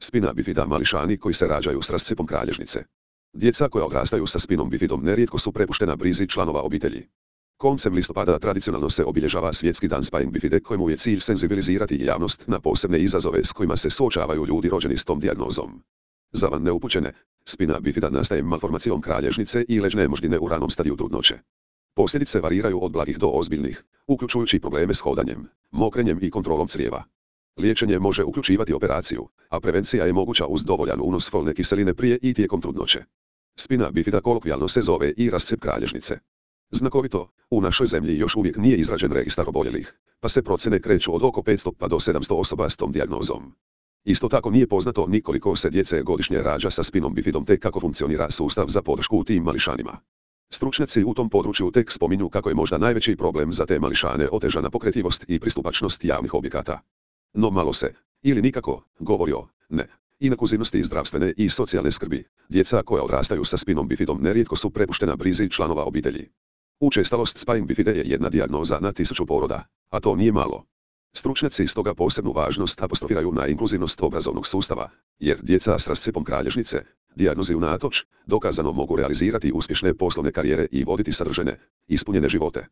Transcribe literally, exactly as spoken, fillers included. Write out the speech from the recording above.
Spina bifida mališani koji se rađaju s rascepom kralježnice. Djeca koja odrastaju sa spinom bifidom nerijetko su prepuštena brizi članova obitelji. Koncem listopada tradicionalno se obilježava svjetski dan spine bifide kojemu je cilj senzibilizirati javnost na posebne izazove s kojima se suočavaju ljudi rođeni s tom dijagnozom. Za van neupućene, spina bifida nastaje malformacijom kralježnice i leđne moždine u ranom stadiju trudnoće. Posljedice variraju od blagih do ozbiljnih, uključujući probleme s hodanjem, mokrenjem i kontrolom crijeva. Liječenje može uključivati operaciju, a prevencija je moguća uz dovoljan unos folne kiseline prije i tijekom trudnoće. Spina bifida kolokvijalno se zove i rascep kralježnice. Znakovito, u našoj zemlji još uvijek nije izrađen registar oboljelih, pa se procjene kreću od oko petsto pa do sedamsto osoba s tom dijagnozom. Isto tako nije poznato ni koliko se djece godišnje rađa sa spinom bifidom te kako funkcionira sustav za podršku u tim mališanima. Stručnjaci u tom području tek spominju kako je možda najveći problem za te mališane otežana pokretljivost i pristupačnost javnih objekata. No malo se, ili nikako, govori o, ne, inkluzivnosti zdravstvene i socijalne skrbi. Djeca koja odrastaju sa spinom bifidom nerijetko su prepuštena brizi članova obitelji. Učestalost spine bifide je jedna dijagnoza na tisuću poroda, a to nije malo. Stručnjaci stoga posebnu važnost apostrofiraju na inkluzivnost obrazovnog sustava, jer djeca s rascepom kralježnice, dijagnozi unatoč, dokazano mogu realizirati uspješne poslovne karijere i voditi sadržene, ispunjene živote.